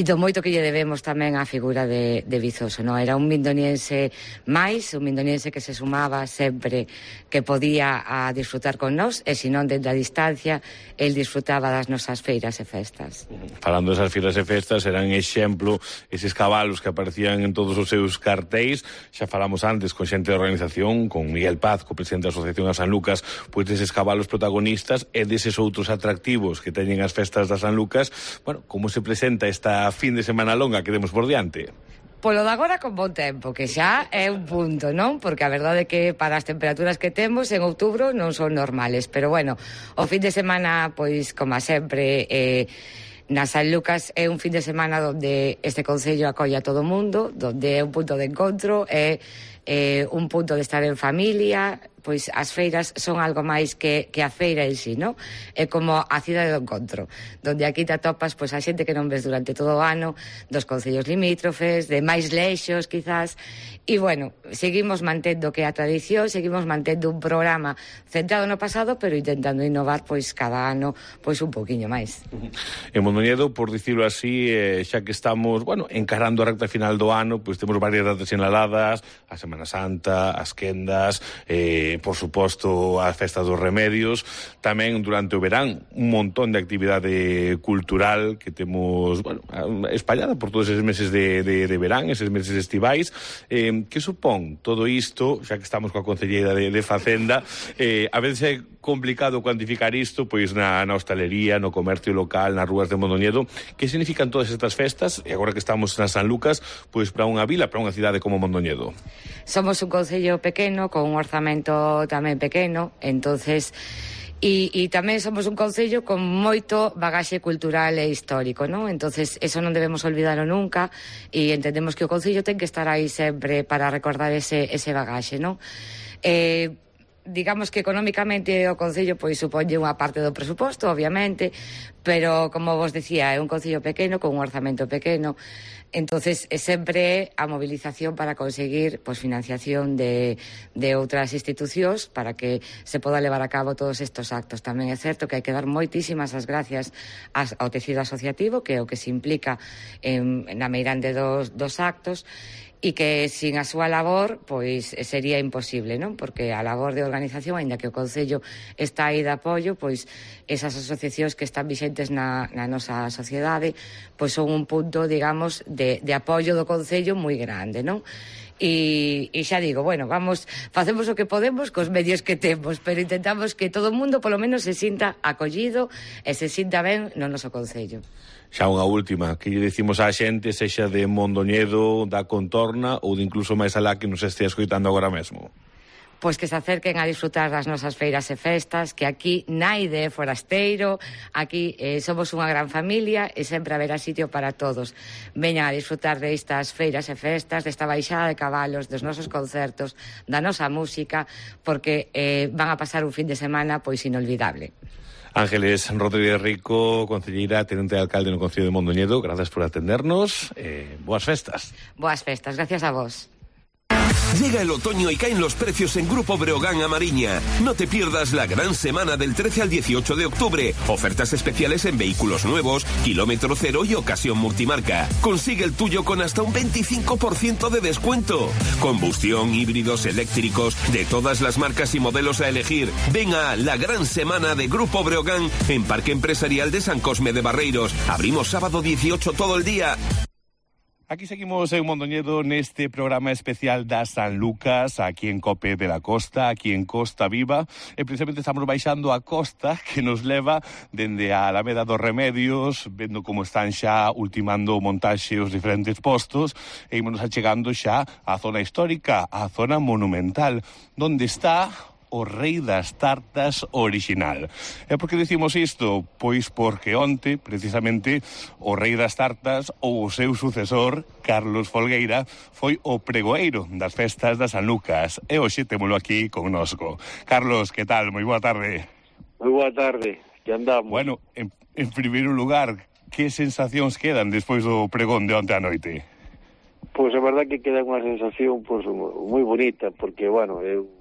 Speaker 12: do moito que lle debemos tamén á figura de Vizoso, non? Era un mindoniense máis, un mindoniense que se sumaba sempre que podía a disfrutar con nós, e senón dende a distancia, el disfrutaba das nosas feiras e festas.
Speaker 4: Falando desas feiras e festas, eran exemplo eses cabalos que aparecían en todos os seus cartéis. Xa falamos antes con xente da organización, con Miguel Paz, co presidente da Asociación a San Lucas, pois deses cabalos protagonistas e deses outros atractivos que teñen as festas da San Lucas. Bueno, como se presenta esta fin de semana longa que demos por diante?
Speaker 12: Polo de agora con bon tempo, que xa é un punto, non? Porque a verdade é que para as temperaturas que temos en outubro non son normales, pero bueno, o fin de semana, pois, como sempre, na San Lucas é un fin de semana onde este concello acolle a todo o mundo, onde é un punto de encontro, é un punto de estar en familia. Pois as feiras son algo máis que a feira en sí, non? É como a cidade do encontro, donde aquí te atopas pois a xente que non ves durante todo o ano, dos concellos limítrofes, de máis leixos, quizás, e bueno, seguimos mantendo que a tradición, seguimos mantendo un programa centrado no pasado, pero intentando innovar pois cada ano pois un poquinho máis.
Speaker 4: En Mondoñedo, por dicirlo así, xa que estamos, bueno, encarando a recta final do ano, pois temos varias datas sinaladas, a Semana Santa, as quendas, por suposto, a festa dos remedios, tamén durante o verán un montón de actividade cultural que temos, bueno, espallada por todos eses meses de verán, eses meses estivais. Que supón todo isto, xa que estamos coa Concelleira de Facenda, a veces é complicado cuantificar isto, pois na hostalería, no comercio local, nas rúas de Mondoñedo. Que significan todas estas festas, e agora que estamos na San Lucas, pois para unha vila, para unha cidade como Mondoñedo?
Speaker 12: Somos un concello pequeno, con un orzamento tamén pequeno, entonces e tamén somos un concello con moito bagaxe cultural e histórico, non? Entonces eso non debemos olvidalo nunca, e entendemos que o concello ten que estar aí sempre para recordar ese bagaxe, non? Digamos que económicamente o concello pois suponlle unha parte do presuposto, obviamente, pero como vos decía, é un concello pequeno con un orzamento pequeno. Entonces, sempre a movilización para conseguir pois, financiación de outras institucións para que se poda levar a cabo todos estes actos. Tamén é certo que hai que dar moitísimas as gracias ao tecido asociativo, que é o que se implica na meirande dos actos, e que sin a súa labor pois sería imposible, non? Porque a labor de organización, aínda que o Concello está aí de apoio, pois esas asociacións que están vixentes na nosa sociedade pois son un punto, digamos, de apoio do Concello moi grande, non? E xa digo, bueno, facemos o que podemos cos medios que temos, pero intentamos que todo o mundo polo menos se sinta acollido e se sinta ben no noso Concello.
Speaker 4: Xa unha última, que lle dicimos á xente, sexa de Mondoñedo, da contorna ou de incluso máis alá que nos estea escoitando agora mesmo?
Speaker 12: Pois que se acerquen a disfrutar das nosas feiras e festas, que aquí naide é forasteiro, aquí somos unha gran familia e sempre haberá sitio para todos. Veñan a disfrutar destas feiras e festas, desta baixada de cabalos, dos nosos concertos, da nosa música, porque van a pasar un fin de semana pois inolvidable.
Speaker 4: Ángeles Rodríguez Rico, concelleira, tenente de alcalde no Concello de Mondoñedo, gracias por atendernos. Boas festas.
Speaker 12: Boas festas, gracias a vos.
Speaker 13: Llega el otoño y caen los precios en Grupo Breogán a Mariña. No te pierdas la gran semana del 13 al 18 de octubre. Ofertas especiales en vehículos nuevos, kilómetro cero y ocasión multimarca. Consigue el tuyo con hasta un 25% de descuento. Combustión, híbridos, eléctricos, de todas las marcas y modelos a elegir. Ven a la gran semana de Grupo Breogán en Parque Empresarial de San Cosme de Barreiros. Abrimos sábado 18 todo el día.
Speaker 4: Aquí seguimos en Mondoñedo neste programa especial da San Lucas, aquí en Cope de la Costa, aquí en Costa Viva, e precisamente estamos baixando a costa que nos leva dende a Alameda dos Remedios, vendo como están xa ultimando montaxe os diferentes postos, e ímonos achegando xa á zona histórica, á zona monumental, donde está o Rei das Tartas original. E por que dicimos isto? Pois porque onte, precisamente, o Rei das Tartas ou o seu sucesor, Carlos Folgueira, foi o pregoeiro das festas da San Lucas. E hoxe témolo aquí connosco. Carlos, que tal? Moi boa tarde.
Speaker 14: Moi boa tarde, que andamos.
Speaker 4: Bueno, en primeiro lugar, que sensacións quedan despois do pregón de onte a noite?
Speaker 14: Pois a verdad que queda unha sensación moi bonita, porque, bueno, eu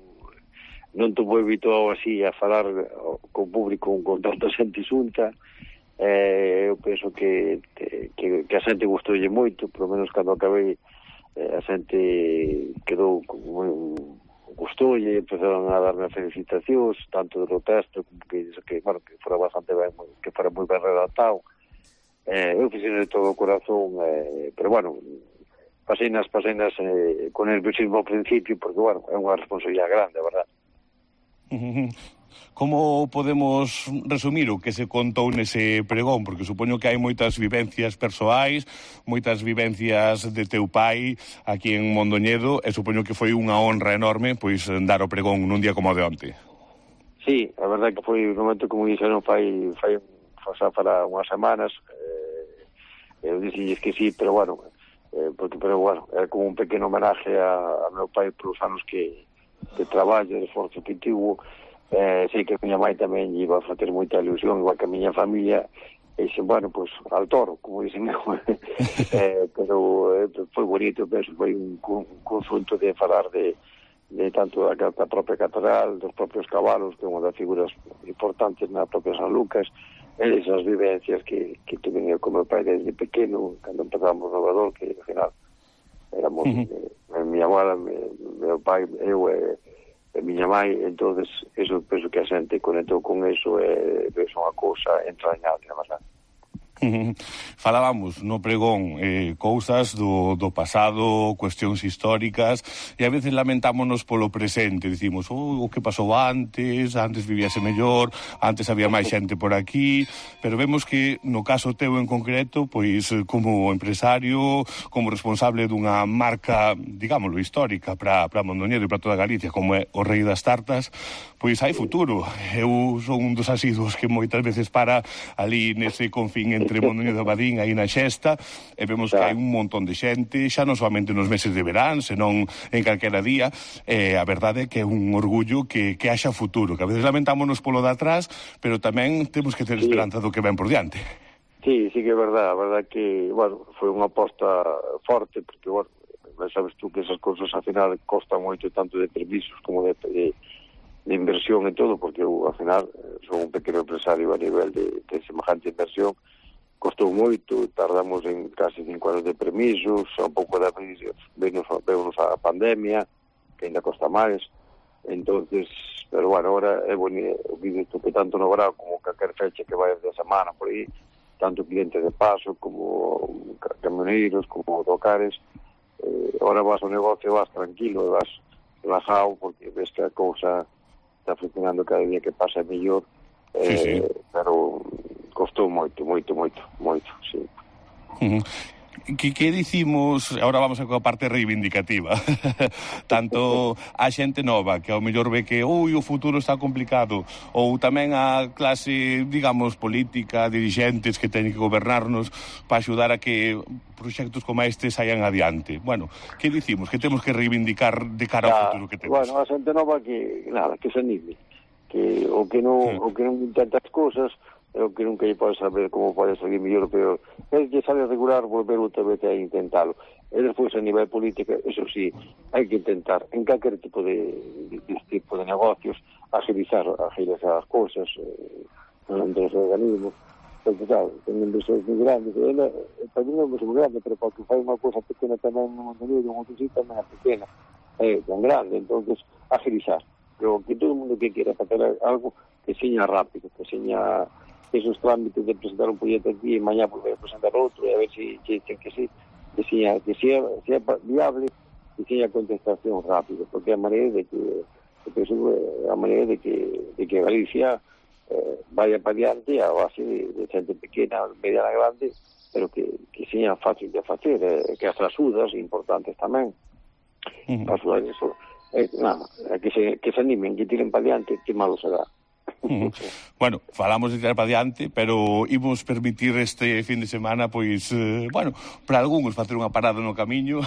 Speaker 14: non estou moi habituado así a falar con público con tanta xente xunta. Eu penso que a xente gustoulle moito, polo menos cando acabei a xente quedou moi gustoulle, empezaron a darme felicitacións tanto do texto como que fora bastante ben, que fora moi ben redactado. Eu fixen de todo o corazón, pero bueno, paseinas con nerviosismo ao principio, porque bueno, é unha responsabilidade grande, a verdad.
Speaker 4: Como podemos resumir o que se contou nese pregón? Porque supoño que hai moitas vivencias persoais, moitas vivencias de teu pai aquí en Mondoñedo, e supoño que foi unha honra enorme pois dar o pregón nun día como o de onte.
Speaker 14: Sí, a verdade que foi un momento, como dixeron, fai para unhas semanas, eu dixilles que sí, pero bueno, é como un pequeno homenaje a meu pai polos anos que traballo, de esforzo que tivo. Sei que a miña mãe tamén iba a facer moita ilusión, igual que a miña familia, e dixen, bueno, pois, al toro, como dicen eu. Pero foi bonito, penso, foi un conjunto de falar de tanto da propia catedral, dos propios cabalos, que é unha das figuras importantes na propia San Lucas, e esas vivencias que tuve eu como pai desde pequeno, cando empezamos no Vador, que ao final éramos miña abuela, meu pai, eu e miña mãe, entonces eso penso que a xente conectou con eso e é unha cousa entrañable, na verdade.
Speaker 4: Falábamos no pregón cousas do pasado, cuestións históricas, e a veces lamentámonos polo presente, dicimos, o que pasou antes vivíase mellor, antes había máis xente por aquí, pero vemos que no caso teu en concreto, pois como empresario, como responsable dunha marca, digámoslo, histórica para Mondoñedo e para toda Galicia, como é o Rei das Tartas, pois hai futuro. Eu son un dos asiduos que moitas veces para ali nese confín entre Mondoñedo e Badín, aí na Xesta, e vemos que hai un montón de xente, xa non solamente nos meses de verán, senón en calquera día. A verdade é que é un orgullo que haxa futuro, que a veces lamentámonos polo de atrás, pero tamén temos que ter esperanza do que ven por diante.
Speaker 14: Sí, que é verdade, a verdade que, bueno, foi unha aposta forte, porque, bueno, sabes tú que esas cousas ao final costan moito, tanto de permisos como de inversión e todo, porque eu, ao final, son un pequeno empresario a nivel de semejante inversión. Costou moito, tardamos en casi 5 anos de permisos, un pouco de venos a pandemia, que ainda costa máis. Entonces, pero bueno, ahora é bonito, visto que tanto no verán como calquer fecha que vai de semana por aí, tanto clientes de paso como camioneiros, como autocares, ahora vas ao negocio, vas tranquilo, vas relajado, porque ves que a cousa está funcionando cada día que pasa mellor, pero costou moito, sí.
Speaker 4: Que dicimos, agora vamos a coa parte reivindicativa, tanto a xente nova, que ao mellor ve que o futuro está complicado, ou tamén a clase, digamos, política, dirixentes que teñen que gobernarnos para axudar a que proxectos como este saian adiante. Bueno, que dicimos? Que temos que reivindicar de cara ao futuro que temos?
Speaker 14: Bueno, a xente nova que se anime, que o que non intenta as cousas, é o que nunca lle pode saber como pode salir mellor ou peor. É que sabe regular, volver outra vez a intentalo. E despois, a nivel política, eso sí, hai que intentar, en calquer tipo de negocios, agilizar as cousas entre os organismos. Porque, claro, ten inversores moi grandes, tamén é moi grande, pero porque fai unha cousa pequena tamén no Mondoñedo, un outro sitio tamén é pequena, é tan grande, entonces agilizar. Pero que todo o mundo que quera facer algo, que seña rápido, que seña esos trámites de presentar un proxecto aquí e mañá poder presentar outro e a ver se dicen que sí, sea viable e que haya contestación rápida, porque a maneira de que Galicia vaya para diante a base de xente pequena, mediana, grande, pero que seña fácil de facer, que as axudas importantes tamén. Axudar eso, nada, que se animen, que tiren para diante, que malo será.
Speaker 4: Bueno, falamos de tirar para diante, pero imos permitir este fin de semana, pois, bueno, para algúns facer unha parada no camiño,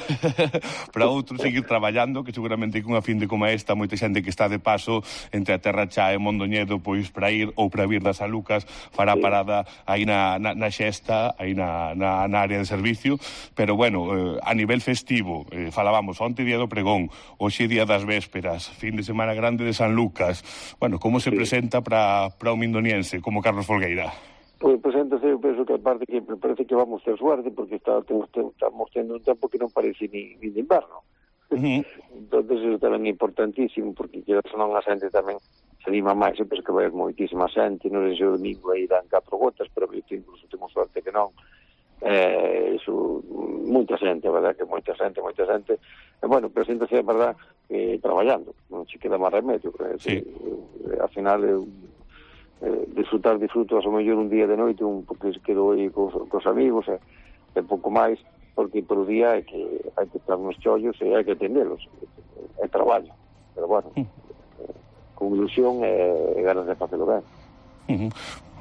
Speaker 4: para outros seguir traballando, que seguramente con unha fin de como esta, moita xente que está de paso entre a Terra Chá e Mondoñedo, pois para ir ou para vir das San Lucas, fará parada aí na xesta, aí na área de servicio, pero bueno, a nivel festivo, falábamos onte día do pregón, hoxe día das vésperas, fin de semana grande de San Lucas, bueno, como se presenta para o mindoniense, como Carlos Folgueira?
Speaker 14: Pois preséntase, eu penso que aparte que parece que vamos ter suerte, porque estamos tendo un tempo que non parece ni de inverno. Entonces eso tamén é importantísimo, porque quedas non a xente tamén se anima máis, eu penso que vai haber moitísima xente, non sei se o domingo aí dan 4 gotas, pero eu incluso temos suerte que non. Eso, moita xente, a verdad que moita xente, e bueno, preséntase, a verdad, traballando, non se queda máis remedio, ao final disfruto a mellor un día de noite, porque se quedo aí cos amigos, e pouco máis, porque por o día hai que estar nos chollos e hai que atendelos, é traballo, pero bueno, con ilusión e ganas de facelo ben.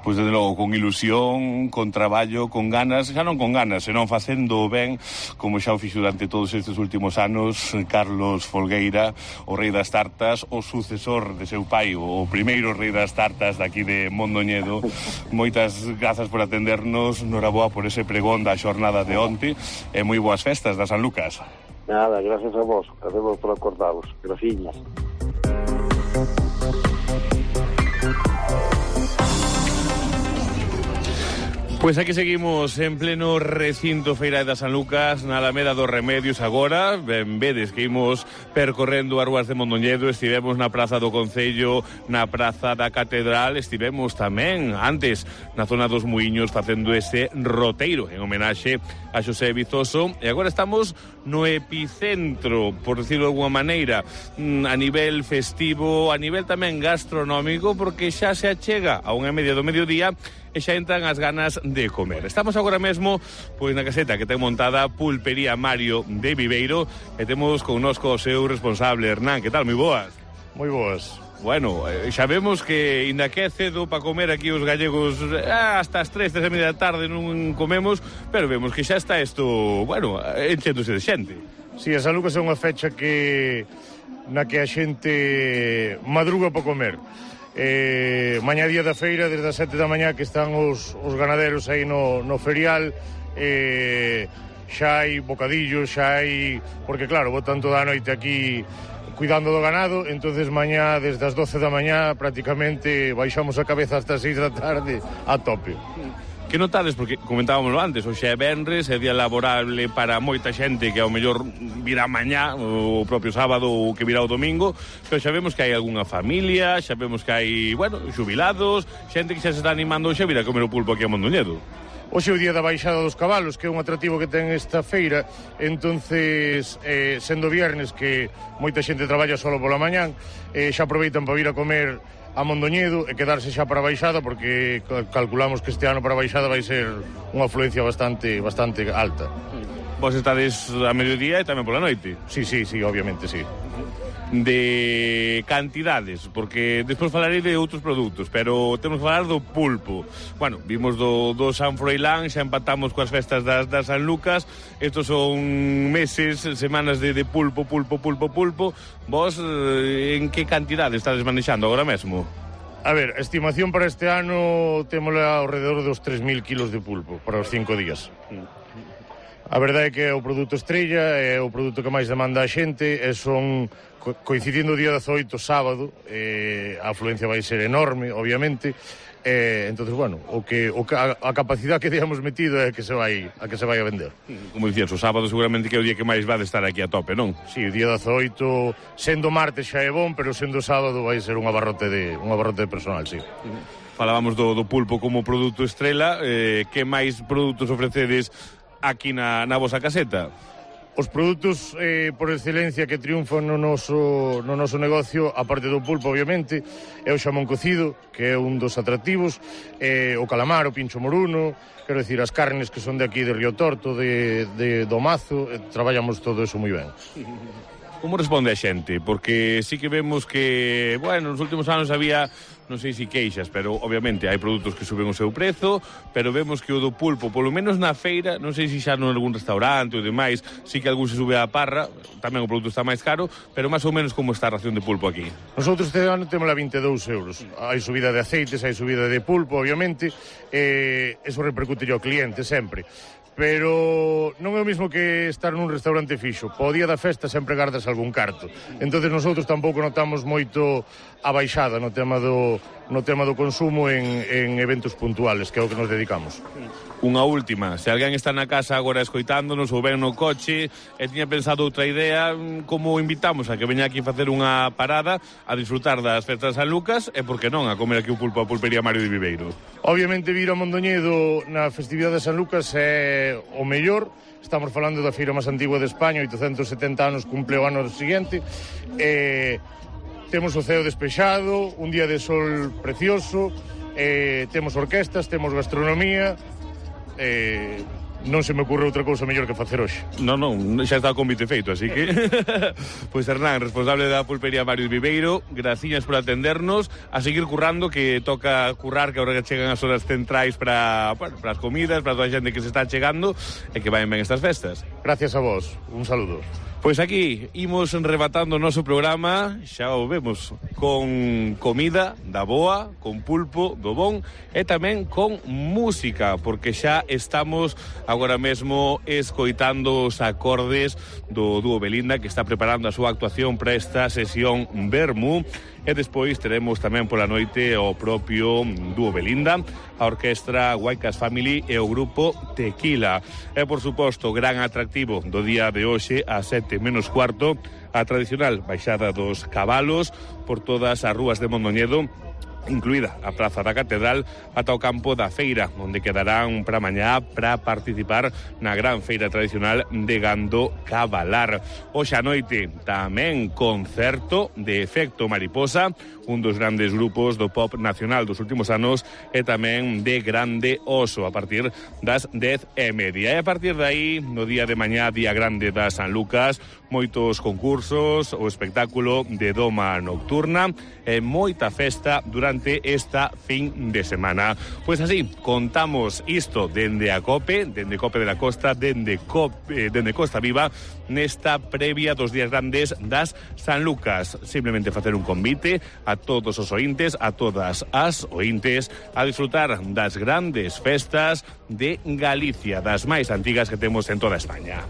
Speaker 4: Pois, desde logo, con ilusión, con traballo, con ganas, xa non con ganas, senón facendo ben, como xa o fixo durante todos estes últimos anos Carlos Folgueira, o rei das tartas, o sucesor de seu pai, o primeiro rei das tartas daqui de Mondoñedo. Moitas grazas por atendernos, noraboa por ese pregón da xornada de onte, e moi boas festas da San Lucas.
Speaker 14: Nada, gracias a vos por acordaros, graciñas.
Speaker 4: Pois aquí seguimos en pleno recinto Feira da San Lucas, na Alameda dos Remedios agora. Ben vedes que imos percorrendo as ruas de Mondoñedo, estivemos na Praza do Concello, na Praza da Catedral, estivemos tamén antes na zona dos Muiños facendo ese roteiro en homenaxe a Xosé Vizoso, e agora estamos no epicentro, por decirlo de alguma maneira, a nivel festivo, a nivel tamén gastronómico, porque xa se achega a 1:30 do mediodía e xa entran as ganas de comer. Estamos agora mesmo pois na caseta que ten montada Pulpería Mario de Viveiro, e temos connosco o seu responsable, Hernán. Que tal? Moi boas.
Speaker 15: Moi boas.
Speaker 4: Bueno, xa vemos que inda que é cedo para comer aquí os gallegos, hasta as 3:30 da tarde non comemos, pero vemos que xa está isto, bueno, enchéndose de xente.
Speaker 15: Si, a San Lucas é unha fecha na que a xente madruga para comer. Mañá día da feira, desde as 7 da mañá que están os ganaderos aí no ferial, xa hai bocadillos, xa hai, porque claro, botan toda a noite aquí cuidando do ganado, entonces mañá desde as 12 da mañá prácticamente baixamos a cabeza hasta as 6 da tarde a tope.
Speaker 4: Que notades, porque comentábamoslo antes, hoxe é venres, é día laborable para moita xente que ao mellor virá mañá, o propio sábado ou que virá o domingo, pero xa vemos que hai algunha familia, xa vemos que hai, bueno, xubilados, xente que xa se está animando hoxe a vir a comer o pulpo aquí a Mondoñedo.
Speaker 15: Hoxe é o día da baixada dos cabalos, que é un atractivo que ten esta feira, entonces, sendo viernes que moita xente traballa solo pola mañán, xa aproveitan para vir a comer a Mondoñedo e quedarse xa para a baixada, porque calculamos que este ano para a baixada vai ser unha afluencia bastante alta.
Speaker 4: Vos estades a mediodía e tamén pola noite?
Speaker 15: Sí, obviamente, sí.
Speaker 4: De cantidades, porque despois falarei de outros produtos, pero temos que falar do pulpo. Bueno, vimos do San Froilán, xa empatamos coas festas das San Lucas. Estos son meses, semanas de pulpo. Vos, en que cantidade estades manexando agora mesmo?
Speaker 15: A ver, a estimación para este ano temos alrededor dos 3.000 kilos de pulpo para os 5 días. A verdade é que é o produto estrella, é o produto que máis demanda a xente, e son, coincidindo o día 18, sábado, a afluencia vai ser enorme, obviamente, entonces, bueno, a capacidade que digamos metido é a que se vai a vender.
Speaker 4: Como dicías, o sábado seguramente que é o día que máis vai estar aquí a tope, non?
Speaker 15: Si, o día 18, sendo martes xa é bon, pero sendo sábado vai ser un abarrote de personal, si.
Speaker 4: Falábamos do pulpo como produto estrela, que máis produtos ofrecedes aquí na vosa caseta?
Speaker 15: Os produtos por excelencia que triunfan no noso negocio, aparte do pulpo, obviamente, é o xamón cocido, que é un dos atractivos, o calamar, o pincho moruno, quero dicir, as carnes que son de aquí, de Río Torto, do Mazo, traballamos todo eso moi ben.
Speaker 4: Como responde a xente? Porque sí que vemos que, bueno, nos últimos anos había, non sei se queixas, pero obviamente hai produtos que suben o seu prezo, pero vemos que o do pulpo, polo menos na feira, non sei se xa non algún restaurante ou demais, sí que algún se sube a parra, tamén o produto está máis caro, pero máis ou menos como está a ración de pulpo aquí?
Speaker 15: Nosotros este ano temos a 22 euros. Hai subida de aceites, hai subida de pulpo, obviamente, eso repercute ao cliente sempre. Pero non é o mismo que estar nun restaurante fixo. Po día da festa sempre gardas algún carto. Entonces nosotros tampouco notamos moito a baixada no tema do consumo en eventos puntuales, que é o que nos dedicamos.
Speaker 4: Unha última, se alguén está na casa agora escoitándonos ou ven no coche e tiña pensado outra idea, como invitamos a que veña aquí facer unha parada a disfrutar das festas de San Lucas e, por que non, a comer aquí o pulpo a pulpería Mario de Viveiro?
Speaker 15: Obviamente vir a Mondoñedo na festividade de San Lucas é o mellor. Estamos falando da feira máis antigua de España, 870 anos cumple o ano seguinte. Temos o ceo despexado, un día de sol precioso, temos orquestas, temos gastronomía, non se me ocurre outra cousa mellor que facer hoxe.
Speaker 4: Non, xa está o convite feito, así que... Pois Hernán, responsable da pulpería Mario de Viveiro, graciñas por atendernos, a seguir currando, que toca currar, que agora chegan as horas centrais para as comidas, para toda a xente que se está chegando, e que vayan ben estas festas.
Speaker 15: Gracias a vos, un saludo.
Speaker 4: Pois aquí imos rematando o noso programa, xa o vemos, con comida da boa, con pulpo do bon e tamén con música, porque xa estamos agora mesmo escoitando os acordes do dúo Belinda, que está preparando a súa actuación para esta sesión Vermú, e despois teremos tamén pola noite o propio dúo Belinda, a orquestra Huaycas Family e o grupo Tequila. E, por suposto, gran atractivo do día de hoxe, a 7:15, a tradicional baixada dos cabalos por todas as rúas de Mondoñedo, incluída a Praza da Catedral, ata o campo da feira, onde quedarán para mañá para participar na gran feira tradicional de gando cabalar. Hoxe a noite tamén concerto de Efecto Mariposa, un dos grandes grupos do pop nacional dos últimos anos, e tamén de Grande Oso, a partir das 10:30. E a partir de aí, no día de mañá, día grande da San Lucas, moitos concursos, o espectáculo de Doma Nocturna e moita festa durante esta fin de semana. Pois así, contamos isto dende a COPE, dende COPE de la Costa, dende Costa Viva, nesta previa dos días grandes das San Lucas. Simplemente facer un convite a todos os ointes, a todas as ointes, a disfrutar das grandes festas de Galicia, das máis antigas que temos en toda España.